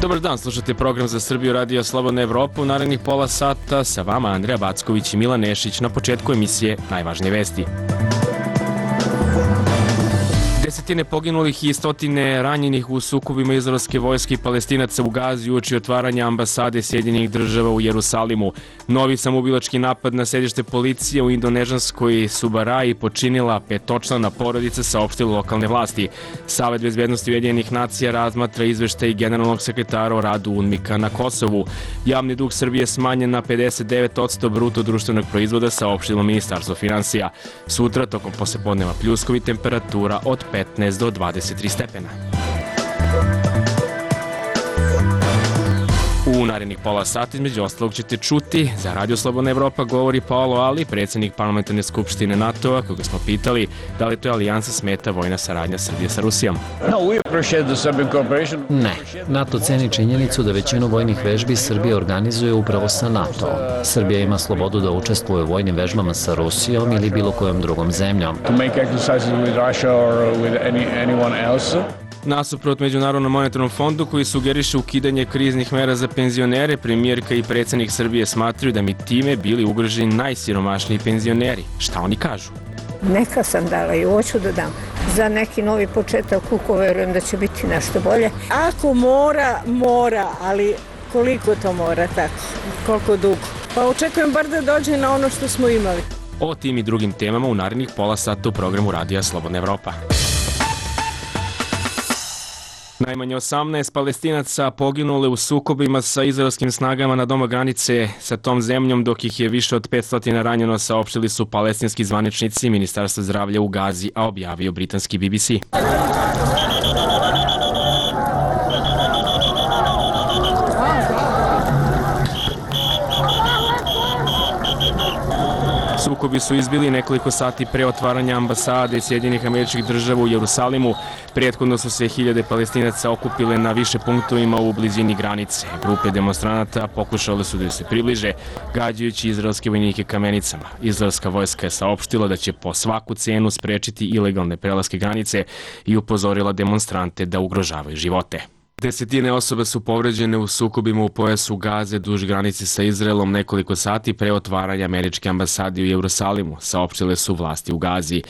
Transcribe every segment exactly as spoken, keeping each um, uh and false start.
Dobar dan, slušate program za Srbiju Radio Slobodna Evropa. U narednih pola sata sa vama Andreja Backović i Milan Nešić. Na početku emisije najvažnije vesti. Desetine poginulih i stotine ranjenih u sukobima izraelske vojske i Palestinaca u Gazi uoči otvaranja ambasade Sjedinjenih država u Jerusalimu. Novi samoubilački napad na sedište policije u indonežanskoj Subaraji počinila petočlana porodica, saopštile lokalne vlasti. Savet bezbednosti Ujedinjenih nacija razmatra izveštaj generalnog sekretara o radu UNMIK-a na Kosovu. Javni dug Srbije smanjen na pedeset devet posto bruto društvenog proizvoda, saopštilo Ministarstvo finansija. Sutra, tokom poslepodneva pljuskovi, temperatura od petnaest do dvadeset tri stepena. U narednih pola sata između ostalog ćete čuti za Radio Slobodna Evropa govori Paolo Ali, predsjednik Parlamentarne skupštine NATO-a, koga smo pitali da li to je alijansa smeta vojna saradnja Srbije sa Rusijom. Ne, NATO ceni činjenicu da većinu vojnih vežbi Srbija organizuje upravo sa NATO-om. Srbija ima slobodu da učestvuje u vojnim vežbama sa Rusijom ili bilo kojom drugom zemljom. Nasuprot Međunarodnom monetarnom fondu koji sugeriše ukidanje kriznih mera za penzionere, premijerka i predsjednik Srbije smatraju da mi time bili ugroženi najsiromašniji penzioneri. Šta oni kažu? Neka sam dala i hoću da dam za neki novi početak, uko verujem da će biti nešto bolje. Ako mora, mora, ali koliko to mora, tako, koliko dugo. Pa očekujem bar da dođe na ono što smo imali. O tim i drugim temama u narednih pola sata u programu Radija Slobodna Evropa. Najmanje osamnaest Palestinaca poginule u sukobima sa izraelskim snagama na doma granice sa tom zemljom, dok ih je više od petsto ranjeno, saopštili su palestinski zvaničnici Ministarstva zdravlja u Gazi, a objavio britanski B B C. Sukobi su izbili nekoliko sati pre otvaranja ambasade Sjedinjenih Američkih Država u Jerusalimu. Prethodno su se hiljade Palestinaca okupile na više punktovima u blizini granice. Grupe demonstranata pokušale su da se približe, gađajući izraelske vojnike kamenicama. Izraelska vojska je saopštila da će po svaku cenu sprečiti ilegalne prelaske granice i upozorila demonstrante da ugrožavaju živote. Desetine osoba su povređene u sukobima u pojasu Gaze duž granice sa Izraelom nekoliko sati pre otvaranja američke ambasade u Jerusalimu, saopštile su vlasti u Gazi.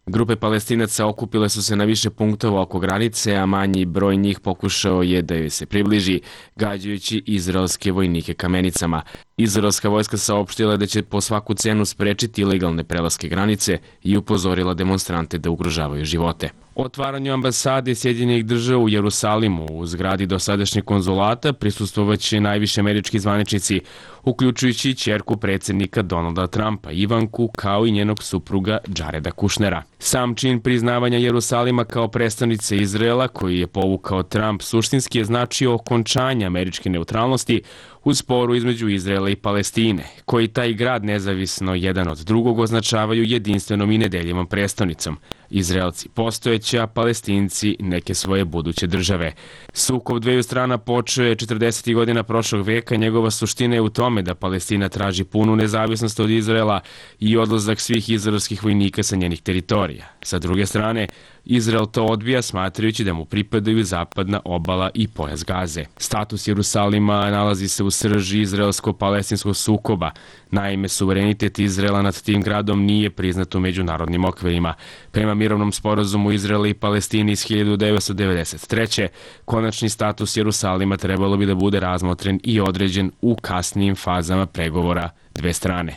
Grupe Palestinaca okupile su se na više punktova oko granice, a manji broj njih pokušao je da joj se približi, gađajući izraelske vojnike kamenicama. Izraelska vojska saopštila da će po svaku cenu sprečiti ilegalne prelaske granice i upozorila demonstrante da ugrožavaju živote. Otvaranju ambasade Sjedinjenih država u Jerusalimu u zgradi dosadašnjeg konzulata prisustvovaće najviše američki zvaničnici, uključujući i ćerku predsjednika Donalda Trumpa, Ivanku, kao i njenog supruga Jareda Kushnera. Sam čin priznavanja Jerusalima kao predstavnice Izraela, koji je povukao Trump, suštinski je značio okončanje američke neutralnosti u sporu između Izraela i Palestine, koji taj grad nezavisno jedan od drugog označavaju jedinstvenom i nedeljivom prestolnicom. Izraelci postojeća, Palestinci neke svoje buduće države. Sukob dveju strana počeo je četrdesetih godina prošlog veka. Njegova suština je u tome da Palestina traži punu nezavisnost od Izraela i odlazak svih izraelskih vojnika sa njenih teritorija. Sa druge strane, Izrael to odbija, smatrajući da mu pripadaju zapadna obala i pojas Gaze. Status Jerusalima nalazi se u srži izraelsko-palestinskog sukoba. Naime, suverenitet Izraela nad tim gradom nije priznat u međunarodnim okvirima. Prema mirovnom sporazumu Izraela i Palestine iz hiljadu devetsto devedeset treće. konačni status Jerusalima trebalo bi da bude razmotren i određen u kasnijim fazama pregovora dve strane.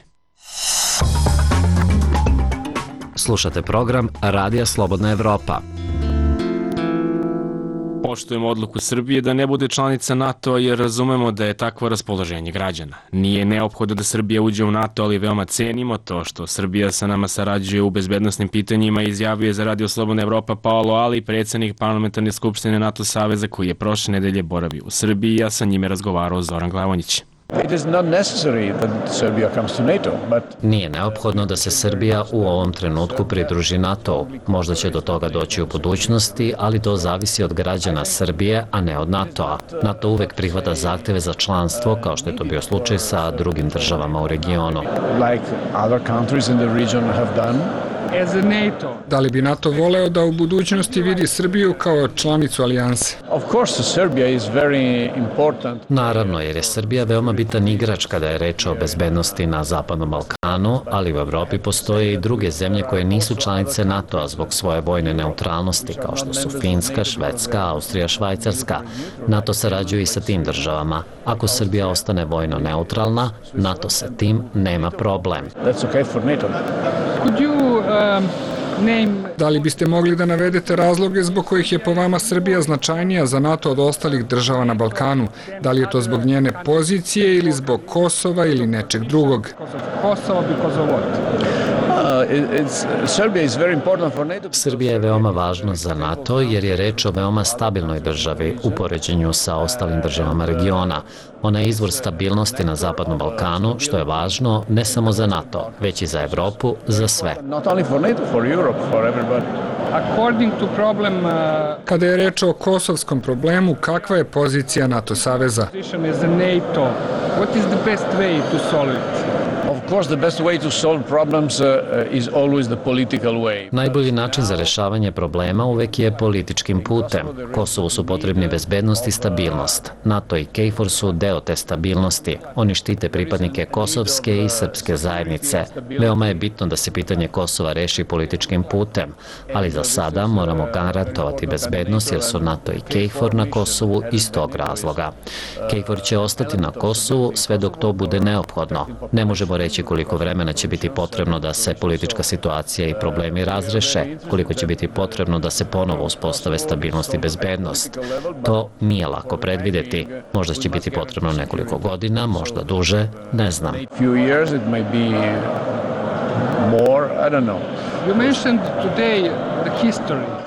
Slušate program Radija Slobodna Evropa. Poštujemo odluku Srbije da ne bude članica NATO-a jer razumemo da je takvo raspoloženje građana. Nije neophodno da Srbija uđe u NATO, ali veoma cenimo to što Srbija sa nama sarađuje u bezbednosnim pitanjima, izjavio je za Radio Slobodna Evropa Paolo Ali, predsjednik Parlamentarne skupštine NATO saveza koji je prošle nedelje boravio u Srbiji, a sa njime razgovarao Zoran Glavonjić. Nije neophodno da se Srbija u ovom trenutku pridruži NATO-u. Možda će do toga doći u budućnosti, ali to zavisi od građana Srbije, a ne od NATO-a. NATO uvek prihvata zahteve za članstvo, kao što je to bio slučaj sa drugim državama u regionu. Da li bi NATO voleo da u budućnosti vidi Srbiju kao članicu alijanse? Naravno, jer je Srbija veoma bitan igrač kada je reč o bezbednosti na Zapadnom Balkanu, ali u Evropi postoje i druge zemlje koje nisu članice NATO-a zbog svoje vojne neutralnosti, kao što su Finska, Švedska, Austrija, Švajcarska. NATO sarađuje i sa tim državama. Ako Srbija ostane vojno neutralna, NATO sa tim nema problem. Da li biste mogli da navedete razloge zbog kojih je po vama Srbija značajnija za NATO od ostalih država na Balkanu? Da li je to zbog njene pozicije ili zbog Kosova ili nečeg drugog? Srbija je veoma važna za NATO jer je reč o veoma stabilnoj državi u poređenju sa ostalim državama regiona. Ona je izvor stabilnosti na Zapadnom Balkanu, što je važno ne samo za NATO, već i za Evropu, za sve. Kada je reč o kosovskom problemu, kakva je pozicija NATO saveza? Najbolji način za rešavanje problema uvek je političkim putem. Kosovu su potrebni bezbednost i stabilnost. NATO i KFOR su deo te stabilnosti. Oni štite pripadnike kosovske i srpske zajednice. Veoma je bitno da se pitanje Kosova reši političkim putem, ali za sada moramo garantovati bezbednost jer su NATO i KFOR na Kosovu iz tog razloga. KFOR će ostati na Kosovu sve dok to bude neophodno. Ne možemo reći koliko vremena će biti potrebno da se politička situacija i problemi razreše, koliko će biti potrebno da se ponovo uspostave stabilnost i bezbednost. To nije lako predvideti. Možda će biti potrebno nekoliko godina, možda duže, ne znam.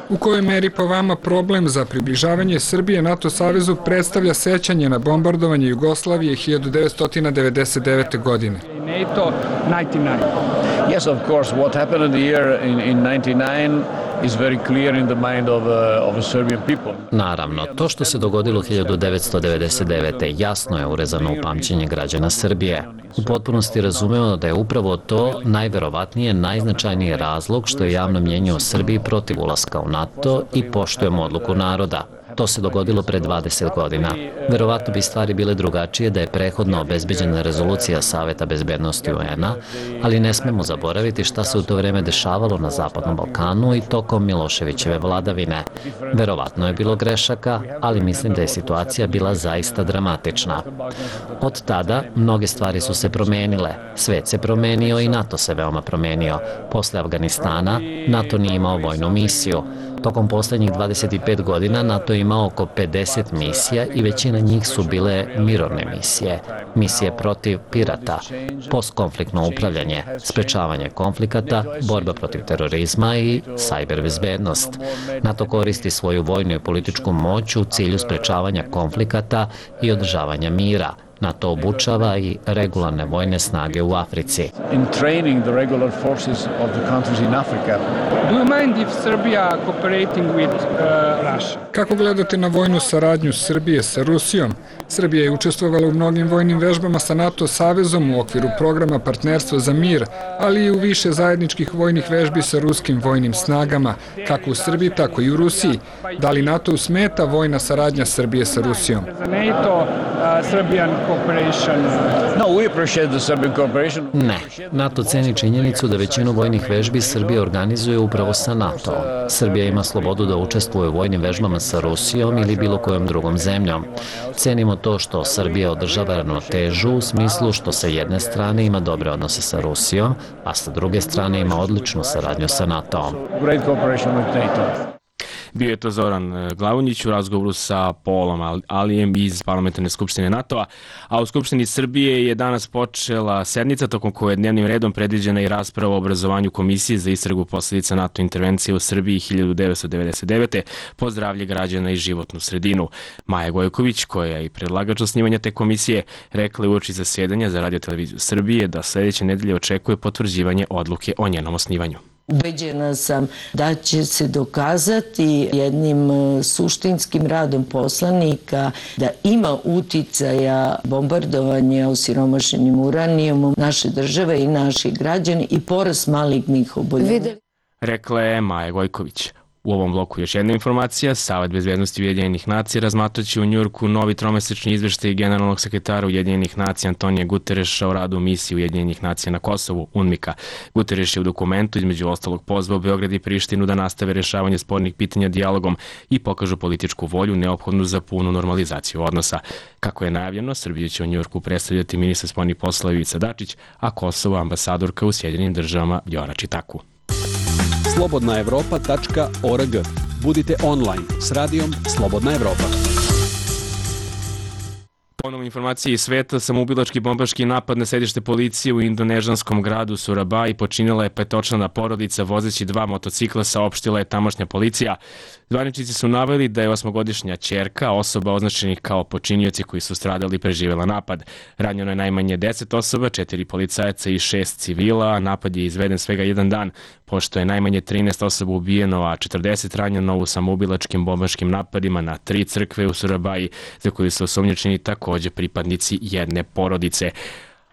U kojoj meri po vama problem za približavanje Srbije NATO savezu predstavlja sećanje na bombardovanje Jugoslavije hiljadu devetsto devedeset devete. godine? Yes, of course, what happened in the year in, in ninety-nine is very clear in the mind of, uh, of the Serbian people. Naravno, to što se dogodilo hiljadu devetsto devedeset devete. jasno je urezano u pamćenje građana Srbije. U potpunosti razumemo da je upravo to najverovatnije najznačajniji razlog što je javno mnjenje o Srbiji protiv ulaska u NATO i poštujemo odluku naroda. To se dogodilo pre dvadeset godina. Verovatno bi stvari bile drugačije da je prehodno obezbeđena rezolucija Saveta bezbednosti U N-a, ali ne smemo zaboraviti šta se u to vreme dešavalo na Zapadnom Balkanu i tokom Miloševićeve vladavine. Verovatno je bilo grešaka, ali mislim da je situacija bila zaista dramatična. Od tada mnoge stvari su se promenile. Svet se promenio i NATO se veoma promenio. Posle Afganistana NATO nije imao vojnu misiju. Tokom poslednjih dvadeset pet godina NATO je imao oko pedeset misija i većina njih su bile mirovne misije. Misije protiv pirata, postkonfliktno upravljanje, sprečavanje konflikata, borba protiv terorizma i sajber bezbednost. NATO koristi svoju vojnu i političku moć u cilju sprečavanja konflikata i održavanja mira. NATO obučava i regularne vojne snage u Africi. In training the regular forces of the countries in Africa. Do you mind if Serbia cooperating with uh, Russia? Kako gledate na vojnu saradnju Srbije sa Rusijom? Srbija je učestvovala u mnogim vojnim vežbama sa NATO savezom u okviru programa Partnerstvo za mir, ali i u više zajedničkih vojnih vežbi sa ruskim vojnim snagama, kako u Srbiji, tako i u Rusiji. Da li NATO smeta vojna saradnja Srbije sa Rusijom? Ne. NATO ceni činjenicu da većinu vojnih vežbi Srbija organizuje upravo sa NATO-om. Srbija ima slobodu da učestvuje u vojnim vežbama sa Rusijom ili bilo kojom drugom zemljom. Cenimo to što Srbija održava ravnotežu u smislu što sa jedne strane ima dobre odnose sa Rusijom, a sa druge strane ima odličnu saradnju sa NATO-om. Bio je to Zoran Glavonjić u razgovoru sa Polom Alijem iz Parlamentarne skupštine NATO-a, a u Skupštini Srbije je danas počela sednica tokom koje je dnevnim redom predviđena i rasprava o obrazovanju Komisije za istragu posledica NATO intervencije u Srbiji hiljadu devetsto devedeset devete po zdravlje građana i životnu sredinu. Maja Gojković, koja je i predlagač osnivanja te komisije, rekla je uoči zasjedanja za Radio-televiziju Srbije da sledeće nedelje očekuje potvrđivanje odluke o njenom osnivanju. Ubeđena sam da će se dokazati jednim suštinskim radom poslanika da ima uticaja bombardovanja osiromašenim uranijumom naše države i naših građana i porast malignih oboljenja. Rekla je Maja Gojković. U ovom bloku još jedna informacija. Savet bezbednosti Ujedinjenih nacija razmatraće u Njujorku novi tromesečni izveštaj generalnog sekretara Ujedinjenih nacija Antonija Gutereša o radu misije Ujedinjenih nacija na Kosovu, UNMIK-a. Gutereš je u dokumentu između ostalog pozvao Beograd i Prištinu da nastave rešavanje spornih pitanja dijalogom i pokažu političku volju neophodnu za punu normalizaciju odnosa. Kako je najavljeno, Srbiju će u Njujorku predstavljati ministar spoljnih poslova Ivica Dačić, a Kosovo ambasadorka u Sjedinjenim državama Vjora Čitaku. slobodna evropa tačka org. Budite online s radijom Slobodna Evropa. Ponovno informacije iz sveta, samoubilački bombaški napad na sedište policije u indonežanskom gradu Surabaya počinila je petočlana porodica vozeći dva motocikla, saopštila je tamošnja policija. Zvaničnici su naveli da je osmogodišnja ćerka osoba označenih kao počinioci koji su stradali preživela napad. Ranjeno je najmanje deset osoba, četiri policajaca i šest civila, a napad je izveden svega jedan dan, pošto je najmanje trinaest osoba ubijeno, a četrdeset ranjeno u samoubilačkim bombaškim napadima na tri crkve u Surabaji, za koju su osumnjičeni takođe pripadnici jedne porodice.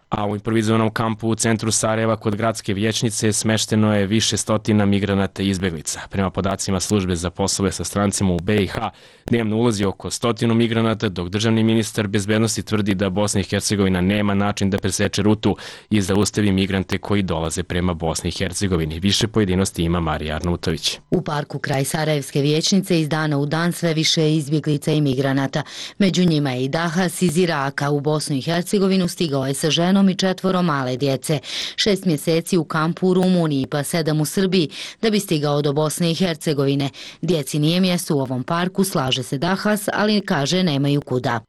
A u improvizovanom kampu u centru Sarajeva kod gradske vijećnice smešteno je više stotina migranata i izbeglica. Prema podacima službe za poslove sa strancima u be i ha, dnevno ulazi oko stotinu migranata, dok državni ministar bezbednosti tvrdi da Bosna i Hercegovina nema način da preseče rutu i zaustavi migrante koji dolaze prema Bosni i Hercegovini. Više pojedinosti ima Marija Arnautović. U parku kraj Sarajevske vijećnice iz dana u dan sve više izbjeglica i migranata. Među njima je i Dahas iz Iraka. U Bosnu i Hercegovinu stigao je sa ženom i četvoro male djece. Šest mjeseci u kampu u Rumuniji, pa sedam u Srbiji, da bi stigao do Bosne i Hercegovine. Djeci nije mjesto u ovom parku, slaže se Dahas, ali kaže nemaju kuda.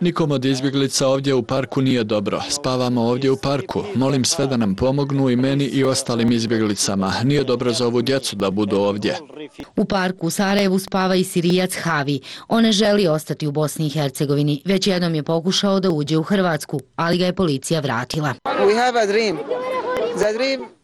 Nikom od izbjeglica ovdje u parku nije dobro. Spavamo ovdje u parku. Molim sve da nam pomognu i meni i ostalim izbjeglicama. Nije dobro za ovu djecu da budu ovdje. U parku u Sarajevu spava i Sirijac Havi. On ne želi ostati u Bosni i Hercegovini. Već jednom je pokušao da uđe u Hrvatsku, ali ga je policija vratila.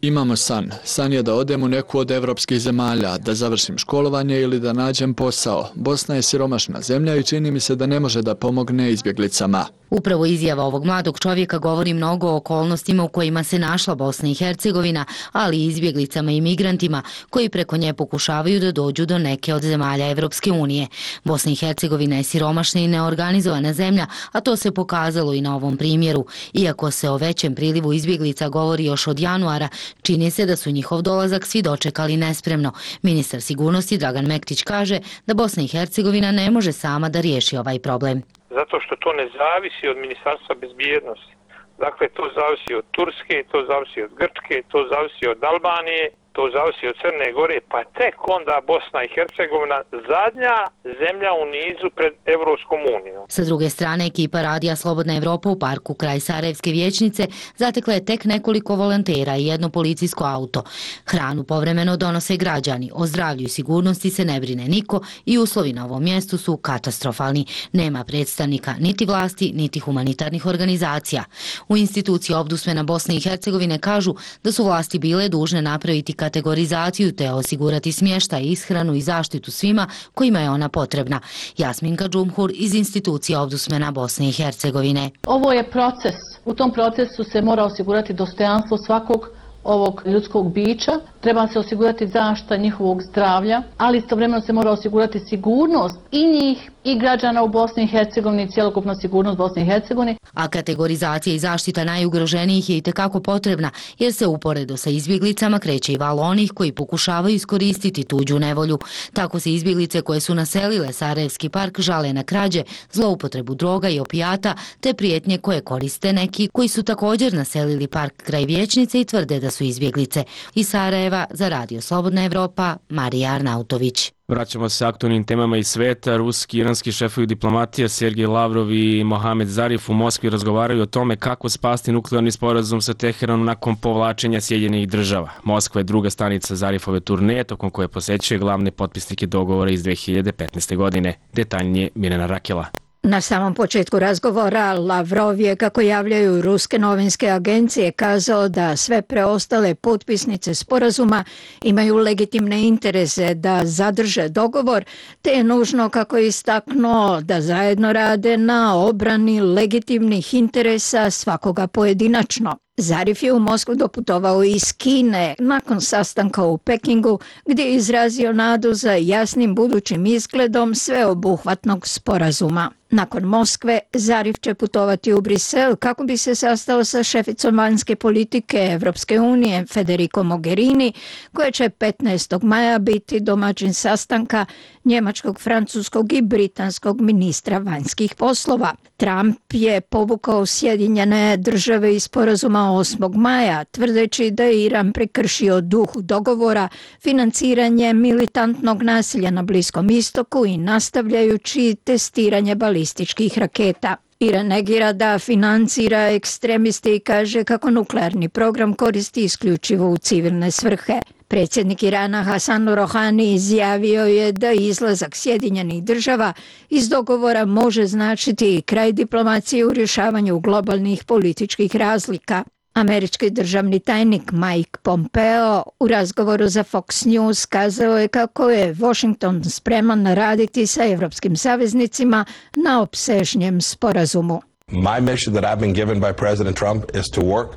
Imamo san. San je da odem u neku od evropskih zemalja, da završim školovanje ili da nađem posao. Bosna je siromašna zemlja i čini mi se da ne može da pomogne izbjeglicama. Upravo izjava ovog mladog čovjeka govori mnogo o okolnostima u kojima se našla Bosna i Hercegovina, ali i izbjeglicama i migrantima koji preko nje pokušavaju da dođu do neke od zemalja Evropske unije. Bosna i Hercegovina je siromašna i neorganizovana zemlja, a to se pokazalo i na ovom primjeru. Iako se o većem prilivu izbjeglica govori još od januara, čini se da su njihov dolazak svi dočekali nespremno. Ministar sigurnosti Dragan Mektić kaže da Bosna i Hercegovina ne može sama da riješi ovaj problem. Zato što to ne zavisi od Ministarstva bezbjednosti. Dakle, to zavisi od Turske, to zavisi od Grčke, to zavisi od Albanije, to zavisi od Crne Gore, pa tek onda Bosna i Hercegovina zadnja zemlja u nizu pred Evropskom unijom. Sa druge strane, ekipa radija Slobodna Evropa u parku kraj Sarajevske vijećnice zatekla je tek nekoliko volontera i jedno policijsko auto. Hranu povremeno donose građani, o zdravlju i sigurnosti se ne brine niko i uslovi na ovom mjestu su katastrofalni. Nema predstavnika niti vlasti, niti humanitarnih organizacija. U instituciji Ombudsmana Bosne i Hercegovine kažu da su vlasti bile dužne napraviti kategorizaciju te osigurati smještaj, ishranu i zaštitu svima kojima je ona potrebna. Jasminka Džumhur iz institucije Ombudsmana Bosne i Hercegovine. Ovo je proces. U tom procesu se mora osigurati dostojanstvo svakog ovog ljudskog bića, treba se osigurati zaštita njihovog zdravlja, ali istovremeno se mora osigurati sigurnost i njih i građana u Bosni i Hercegovini, cjelokupna sigurnost Bosne i Hercegovine. A kategorizacija i zaštita najugroženijih je itekako potrebna, jer se uporedo sa izbjeglicama kreće i val onih koji pokušavaju iskoristiti tuđu nevolju. Tako se izbjeglice koje su naselile Sarajevski park žale na krađe, zloupotrebu droga i opijata, te prijetnje koje koriste neki koji su također naselili park kraj Vijećnice i tvrde da su izbjeglice. Iz Sarajeva za Radio Slobodna Evropa, Marija Arnautović. Vraćamo se aktualnim temama iz sveta. Ruski i iranski šefovi diplomatija Sergej Lavrov i Mohamed Zarif u Moskvi razgovaraju o tome kako spasti nuklearni sporazum sa Teheranom nakon povlačenja Sjedinjenih država. Moskva je druga stanica Zarifove turneje, tokom koje posećuje glavne potpisnike dogovora iz dve hiljade petnaeste. godine. Detaljnije Mirjana Rakela. Na samom početku razgovora Lavrov je, kako javljaju ruske novinske agencije, kazao da sve preostale potpisnice sporazuma imaju legitimne interese da zadrže dogovor, te je nužno, kako je istaknuo, da zajedno rade na obrani legitimnih interesa svakoga pojedinačno. Zarif je u Moskvu doputovao iz Kine nakon sastanka u Pekingu, gdje je izrazio nadu za jasnim budućim izgledom sveobuhvatnog sporazuma. Nakon Moskve, Zarif će putovati u Brisel kako bi se sastao sa šeficom vanjske politike Evropske unije Federico Mogherini, koja će petnaestog maja biti domaćin sastanka njemačkog, francuskog i britanskog ministra vanjskih poslova. Trump je povukao Sjedinjene države iz sporazuma osmog maja, tvrdeći da je Iran prekršio duh dogovora financiranje militantnog nasilja na Bliskom istoku i nastavljajući testiranje balističkih raketa. Iran negira da financira ekstremiste i kaže kako nuklearni program koristi isključivo u civilne svrhe. Predsjednik Irana Hasan Rohani izjavio je da izlazak Sjedinjenih država iz dogovora može značiti kraj diplomacije u rješavanju globalnih političkih razlika. Američki državni tajnik Mike Pompeo u razgovoru za Fox News kazao je kako je Washington spreman raditi sa evropskim saveznicima na opsežnjem sporazumu. My mission that I've been given by President Trump is to work.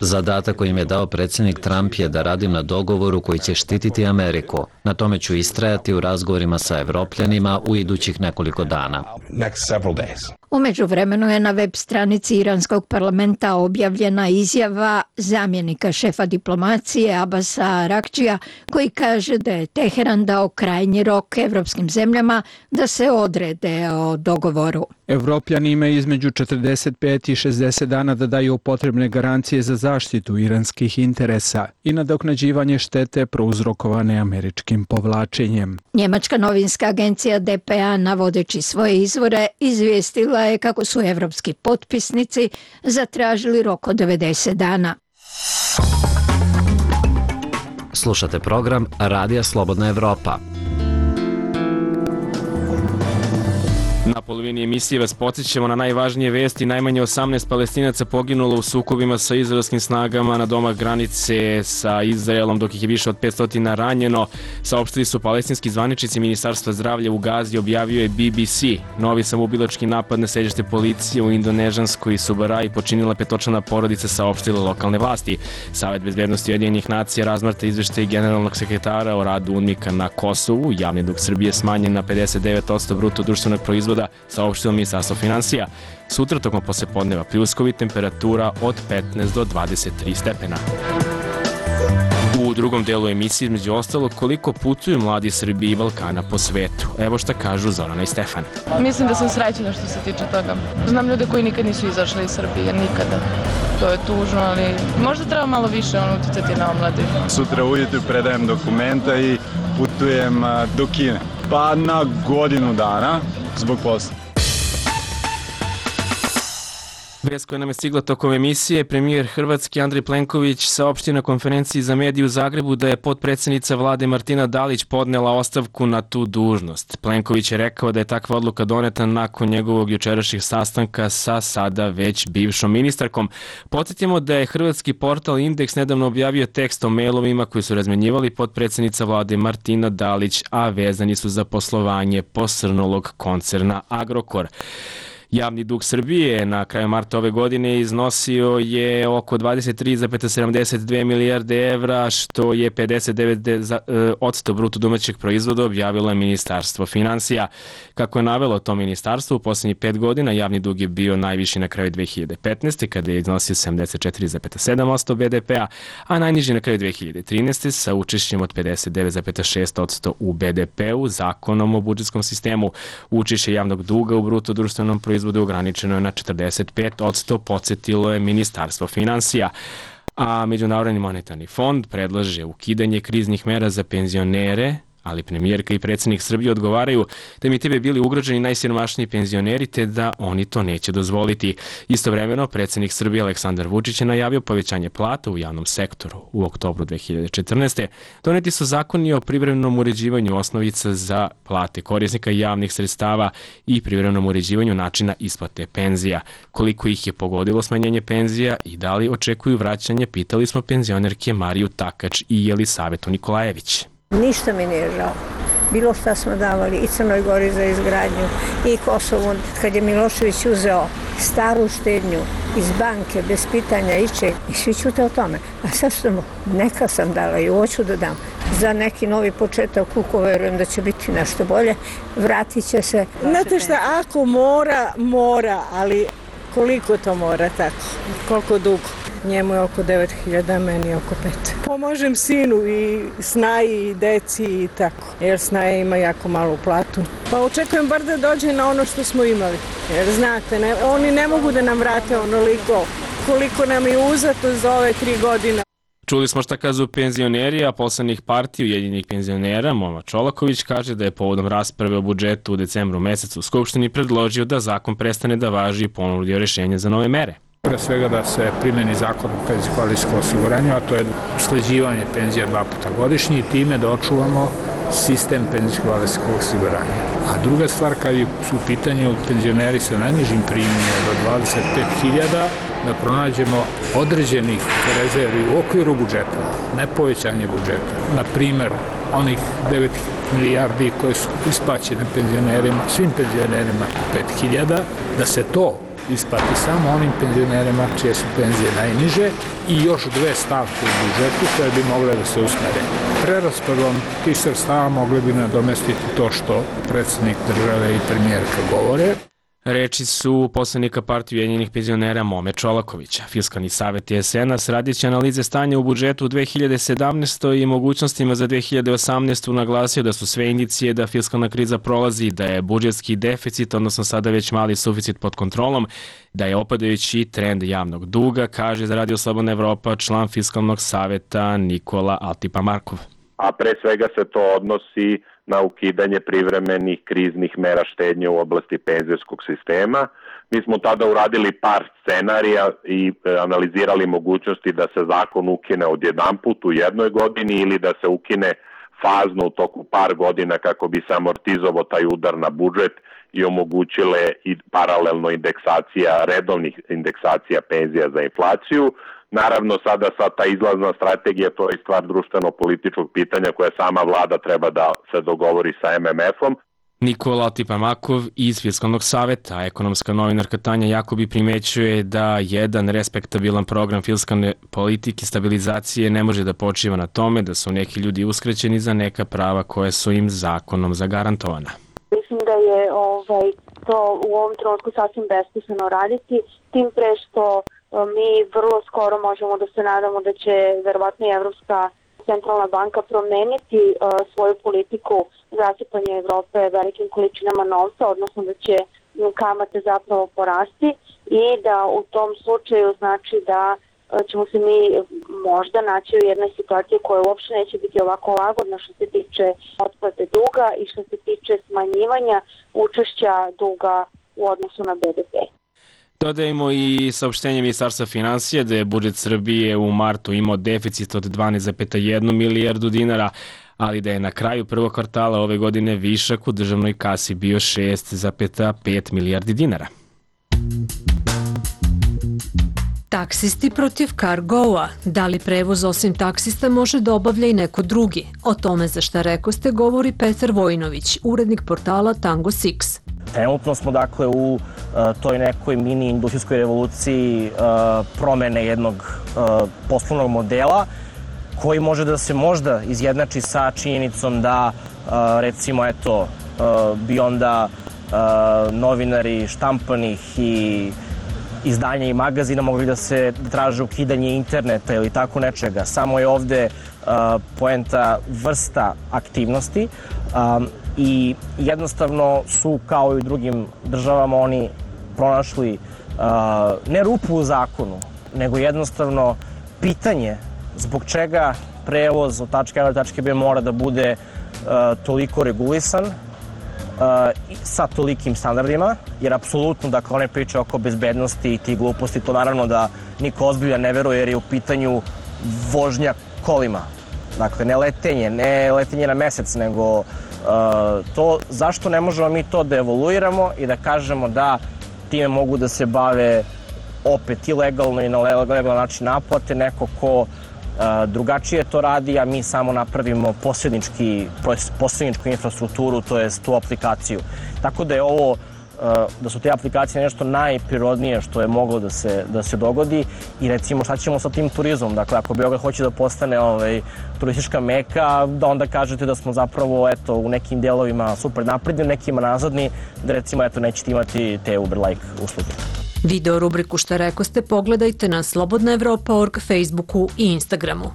Zadatak koji im je dao predsjednik Trump je da radim na dogovoru koji će štititi Ameriku. Na tome ću istrajati u razgovorima sa Evropljanima u idućih nekoliko dana. Next several days. U međuvremenu je na web stranici iranskog parlamenta objavljena izjava zamjenika šefa diplomacije Abasa Arakčija, koji kaže da je Teheran dao krajnji rok evropskim zemljama da se odrede o dogovoru. Evropljani imaju između četrdeset pet i šezdeset dana da daju potrebne garancije za zaštitu iranskih interesa i nadoknađivanje štete prouzrokovane američkim povlačenjem. Njemačka novinska agencija D P A, navodeći svoje izvore, izvijestila je kako su evropski potpisnici zatražili rok od devedeset dana. Slušate program Radija Slobodna Evropa. Na polovini emisije vas podsjećamo na najvažnije vesti. Najmanje osamnaest Palestinaca poginulo u sukobima sa izraelskim snagama na domak granice sa Izraelom, dok ih je više od petsto ranjeno. Saopštili su palestinski zvaničnici. Ministarstva zdravlja u Gazi objavio je B B C. Novi samoubilački napad na sedište policije u indonežanskoj Subaraji počinila petočlana porodica, saopštile lokalne vlasti. Savet bezbednosti Ujedinjenih nacija razmatra izveštaj generalnog sekretara o radu UNMIK-a na Kosovu. Javni dug Srbije smanjen na pedeset devet posto bruto društvenog proizvoda, saopštilo Ministarstvo finansija. Sutra tokom poslepodneva pljuskovi, temperatura od petnaest do dvadeset tri stepena. U drugom delu emisije, između ostalog, koliko putuju mladi Srbi i Balkana po svetu. Evo šta kažu Zorana i Stefan. Mislim da sam srećena što se tiče toga. Znam ljude koji nikad nisu izašli iz Srbije, nikada. To je tužno, ali možda treba malo više ono uticati na omlade. Sutra ujutru predajem dokumenta i putujem do Kine. Pa na godinu dana zbog posla. Vest koja nam je stigla tokom emisije, premijer Hrvatski Andrej Plenković saopštio na konferenciji za medije u Zagrebu da je potpredsjednica vlade Martina Dalić podnela ostavku na tu dužnost. Plenković je rekao da je takva odluka doneta nakon njegovog jučerašnjeg sastanka sa sada već bivšom ministarkom. Podsjetimo da je hrvatski portal Indeks nedavno objavio tekst o mailovima koji su razmenjivali potpredsjednica vlade Martina Dalić, a vezani su za poslovanje posrnulog koncerna Agrokor. Javni dug Srbije na kraju marta ove godine iznosio je oko dvadeset tri zarez sedamdeset dve milijarde evra, što je pedeset devet posto bruto domaćeg proizvoda, objavilo je Ministarstvo finansija. Kako je navelo to ministarstvo, u poslednjih pet godina javni dug je bio najviši na kraju dve hiljade petnaeste. kada je iznosio sedamdeset četiri zarez sedam posto be de pea, a najniži na kraju dve hiljade trinaeste. sa učešćem od pedeset devet zarez šest posto u be de peu. Zakonom o budžetskom sistemu učešće javnog duga u bruto društvenom proizvodu ograničeno je na četrdeset pet posto, podsjetilo je Ministarstvo finansija. A Međunarodni monetarni fond predlaže ukidanje kriznih mera za penzionere, ali premijerka i predsjednik Srbije odgovaraju da bi time bili ugroženi najsiromašniji penzioneri, te da oni to neće dozvoliti. Istovremeno, predsjednik Srbije Aleksandar Vučić je najavio povećanje plata u javnom sektoru. U oktobru dve hiljade četrnaeste. doneti su zakoni o privremenom uređivanju osnovica za plate korisnika javnih sredstava i privremenom uređivanju načina isplate penzija. Koliko ih je pogodilo smanjenje penzija i da li očekuju vraćanje, pitali smo penzionerke Mariju Takač i Jelisavetu Nikolajević. Ništa mi nije žao. Bilo šta smo davali i Crnoj Gori za izgradnju i Kosovu, kad je Milošević uzeo staru štednju iz banke bez pitanja ičeg i svi ćute o tome. A sad što neka sam dala i hoću da dam za neki novi početak, uko verujem da će biti nešto bolje, vratit će se. Znate šta, ako mora, mora, ali koliko to mora tako, koliko dugo? Njemu je oko devet hiljada, meni oko pet. Pomažem sinu i Snaji i deci i tako, jer Snaja ima jako malu platu. Pa očekujem bar da dođe na ono što smo imali, jer znate, ne, oni ne mogu da nam vrate onoliko koliko nam je uzeto za ove tri godine. Čuli smo šta kazu penzioneri, a poslanik partije Ujedinjenih penzionera Momo Čolaković kaže da je povodom rasprave o budžetu u decembru mesecu u Skupštini predložio da zakon prestane da važi i ponudio rešenje za nove mere. Pre svega da se primeni zakon o penzijsko-invalidskom osiguranju, a to je usklađivanje penzija dva puta godišnje i time da očuvamo sistem penzijsko-invalidskog osiguranja. A druga stvar, kad su u pitanju penzioneri sa najnižim primjenima do dvadeset pet hiljada, da pronađemo određenih rezervi u okviru budžeta, ne povećanje budžeta. Na primer, onih devet milijardi koje su isplaćene penzionerima, svim penzionerima pet hiljada, da se to isplati samo onim penzionerima čije su penzije najniže i još dve stavke u budžetu koje bi mogle da se usmere. Preraspodelom tih sredstava mogli bi nadomestiti to što predsjednik države i premijerka govore. Reči su poslanika partije Ujedinjenih penzionera Mome Čolakovića. Fiskalni savet es en a radit će analize stanja u budžetu u dve hiljade sedamnaestoj. i mogućnostima za dve hiljade osamnaestu. naglasio da su sve indicije da fiskalna kriza prolazi, da je budžetski deficit, odnosno sada već mali suficit pod kontrolom, da je opadajući trend javnog duga, kaže za Radio Slobodna Evropa član Fiskalnog saveta Nikola Altipa-Markov. A pre svega se to odnosi na ukidanje privremenih kriznih mera štednje u oblasti penzijskog sistema. Mi smo tada uradili par scenarija i analizirali mogućnosti da se zakon ukine odjedanput u jednoj godini ili da se ukine fazno u toku par godina kako bi se amortizovao taj udar na budžet i omogućile i paralelno indeksacija, redovnih indeksacija penzija za inflaciju. Naravno, sada sa ta izlazna strategija, to je stvar društveno-političkog pitanja koje sama vlada treba da se dogovori sa em em efom. Nikola Altipa-Makov iz Fiskalnog saveta, ekonomska novinarka Tanja Jakobi primećuje da jedan respektabilan program fiskalne politike stabilizacije ne može da počiva na tome da su neki ljudi uskraćeni za neka prava koje su im zakonom zagarantovana. Mislim da je ovaj, to u ovom trenutku sasvim besmisleno raditi, tim pre što mi vrlo skoro možemo da se nadamo da će verovatno i Evropska centralna banka promeniti uh, svoju politiku zasipanja Evrope velikim količinama novca, odnosno da će kamate zapravo porasti i da u tom slučaju znači da uh, ćemo se mi možda naći u jednoj situaciji koja uopšte neće biti ovako lagodna što se tiče otplate duga i što se tiče smanjivanja učešća duga u odnosu na be de pe. Dodajemo i saopštenje Ministarstva finansija da je budžet Srbije u martu imao deficit od dvanaest zarez jedan milijardu dinara, ali da je na kraju prvog kvartala ove godine višak u državnoj kasi bio šest zarez pet milijardi dinara. Taksisti protiv Cargoa. Da li prevoz osim taksista može da obavlja i neko drugi? O tome za šta rekoste govori Petar Vojinović, urednik portala Tango Six. Trenutno smo dakle u uh, toj nekoj mini industrijskoj revoluciji uh, promene jednog uh, poslovnog modela koji može da se možda izjednači sa činjenicom da uh, recimo eto uh, bi onda uh, novinari štampanih i izdanja i magazina mogli da se da traže ukidanje interneta ili tako nečega. Samo je ovde uh, poenta vrsta aktivnosti um, i jednostavno su kao i u drugim državama oni pronašli uh, ne rupu u zakonu, nego jednostavno pitanje zbog čega prevoz od tačke A do tačke B mora da bude uh, toliko regulisan Uh, sa tolikim standardima, jer apsolutno, dakle, one priče oko bezbednosti i tih gluposti, to naravno da niko ozbiljan ne veruje jer je u pitanju vožnja kolima. Dakle, ne letenje, ne letenje na mesec, nego uh, to zašto ne možemo mi to da evoluiramo i da kažemo da time mogu da se bave opet i legalno i na legalan način naplate, neko ko Uh, drugačije to radi, a mi samo napravimo posrednički, posredničku infrastrukturu, to jest tu aplikaciju. Tako da je ovo, uh, da su te aplikacije nešto najprirodnije što je moglo da se, da se dogodi i recimo šta ćemo sa tim turizmom. Dakle, ako Beograd hoće da postane ovaj, turistička meka, da onda kažete da smo zapravo eto, u nekim delovima super napredni, nekima nazadni, da recimo eto, nećete imati te Uber-like usluge. Video rubriku Šta reko ste pogledajte na slobodna evropa tačka org, Facebooku i Instagramu.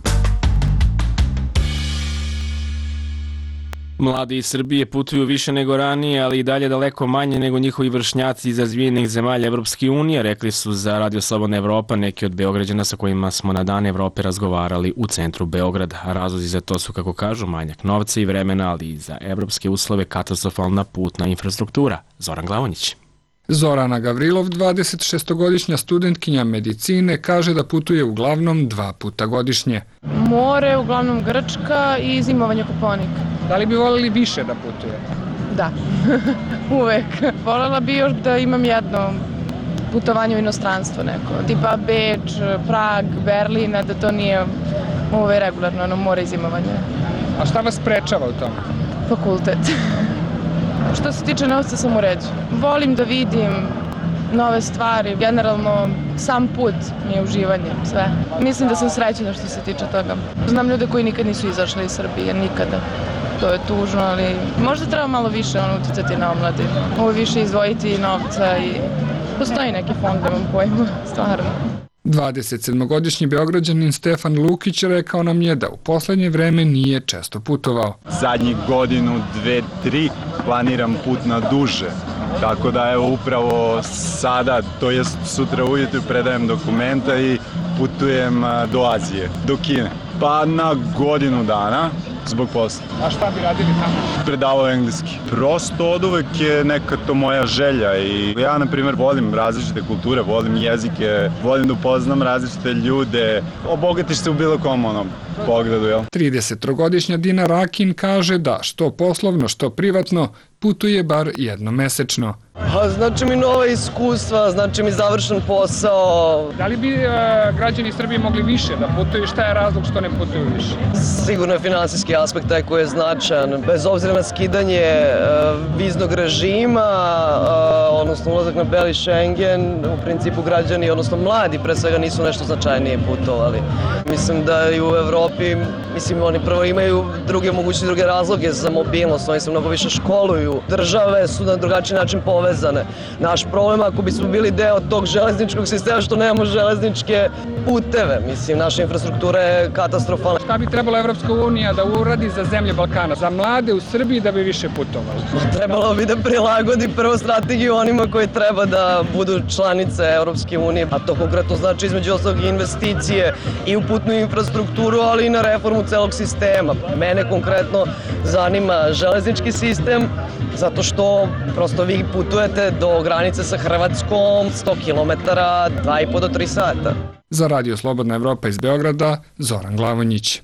Mladi iz Srbije putuju više nego ranije, ali i dalje daleko manje nego njihovi vršnjaci iz razvijenih zemalja Evropske unije, rekli su za Radio Slobodna Evropa neki od Beograđana sa kojima smo na Dan Evrope razgovarali u centru Beograda. Razlozi za to su, kako kažu, manjak novca i vremena, ali i za evropske uslove katastrofalna putna infrastruktura. Zoran Glavonjić. Zorana Gavrilov, dvadesetšestogodišnja studentkinja medicine, kaže da putuje uglavnom dva puta godišnje. More, uglavnom Grčka i zimovanje Kopaonik. Da li bi voljeli više da putuje? Da, uvek. Voljela bi još da imam jedno putovanje u inostranstvo neko, tipa Beč, Prag, Berlin, da to nije ove regularno, ono more i zimovanje. A šta vas sprečava u tome? Fakultet. Što se tiče novca sam u redu. Volim da vidim nove stvari, generalno sam put mi je uživanje, sve. Mislim da sam srećena što se tiče toga. Znam ljude koji nikad nisu izašli iz Srbije, nikada. To je tužno, ali možda treba malo više ono, uticati na omladinu. Ovo više izdvojiti novca i postoji neki fond, da vam pojma, stvarno. dvadesetsedmogodišnji Beograđanin Stefan Lukić rekao nam je da u poslednje vreme nije često putovao. Zadnjih godinu, dve, tri planiram put na duže. Tako da evo upravo sada, to jest sutra ujutru predajem dokumenta i putujem do Azije, do Kine. Pa na godinu dana zbog posla. A šta bi radili tamo? Predavao engleski. Prosto od uvek je neka to moja želja i ja, na primjer, volim različite kulture, volim jezike, volim da upoznam različite ljude, obogatiš se u bilo kom onom pogledu, jel? tridesettrogodišnja Dina Rakin kaže da što poslovno, što privatno putuje bar jednomesečno. Pa znači mi nova iskustva, znači mi završen posao. Da li bi e, građani Srbije mogli više da putuju? Šta je razlog što ne putuju više? Sigurno je finansijski aspekt taj koji je značajan. Bez obzira na skidanje e, viznog režima, e, odnosno ulazak na beli Schengen, u principu građani, odnosno mladi pre svega nisu nešto značajnije putovali. Mislim da i u Evropi, mislim oni prvo imaju druge mogućnosti, druge razloge za mobilnost, oni se mnogo više školuju. Države su na drugačiji način povezane. Naš problem ako bismo bili deo tog železničkog sistema što nemamo železničke puteve, mislim naša infrastruktura je katastrofalna. Šta bi trebalo Evropska unija da uradi za zemlje Balkana, za mlade u Srbiji da bi više putovali? Trebalo bi da prilagodi prvo strategiju onima koji treba da budu članice Evropske unije, a to konkretno znači između ostalog i investicije i u putnu infrastrukturu, ali i na reformu celog sistema. Mene konkretno zanima železnički sistem, zato što prosto vi putujete do granice sa Hrvatskom sto kilometara, dva i po do tri sata. Za Radio Slobodna Evropa iz Beograda, Zoran Glavonjić.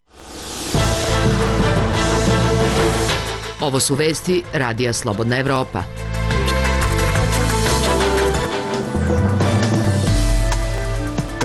Ovo su vesti Radija Slobodna Evropa.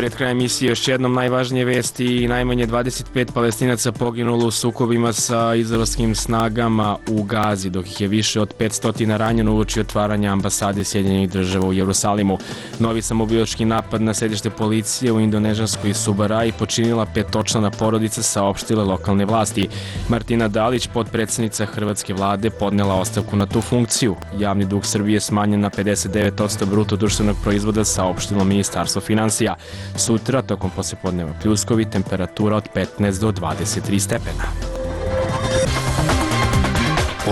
Pred krajem emisije još jednom najvažnije vesti i najmanje dvadeset pet Palestinaca poginulo u sukobima sa izraelskim snagama u Gazi, dok ih je više od petsto ranjeno uoči otvaranja ambasade Sjedinjenih država u Jerusalimu. Novi samoubilački napad na sedište policije u indonežanskoj Subaraji počinila petočlana porodica, saopštile lokalne vlasti. Martina Dalić, potpredsednica hrvatske vlade, podnela ostavku na tu funkciju. Javni dug Srbije smanjen na pedeset devet posto bruto društvenog proizvoda, saopštilo Ministarstvo finansija. Sutra, tokom poslepodneva pljuskovi, temperatura od petnaest do dvadeset tri stepena.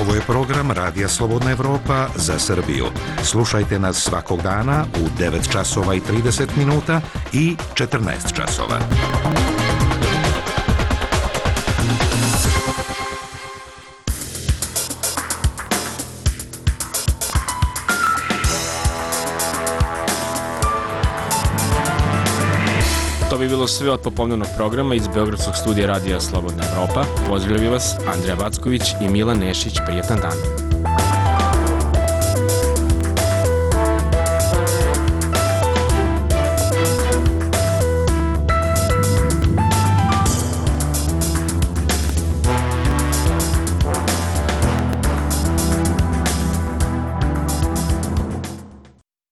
Ovo je program Radija Slobodna Evropa za Srbiju. Slušajte nas svakog dana u devet časova i trideset minuta i četrnaest časova. To bi bilo sve od popodnevnog programa iz Beogradskog studija Radija Slobodna Evropa. Pozdravljaju vas Andreja Backović i Milan Nešić. Prijetan dan.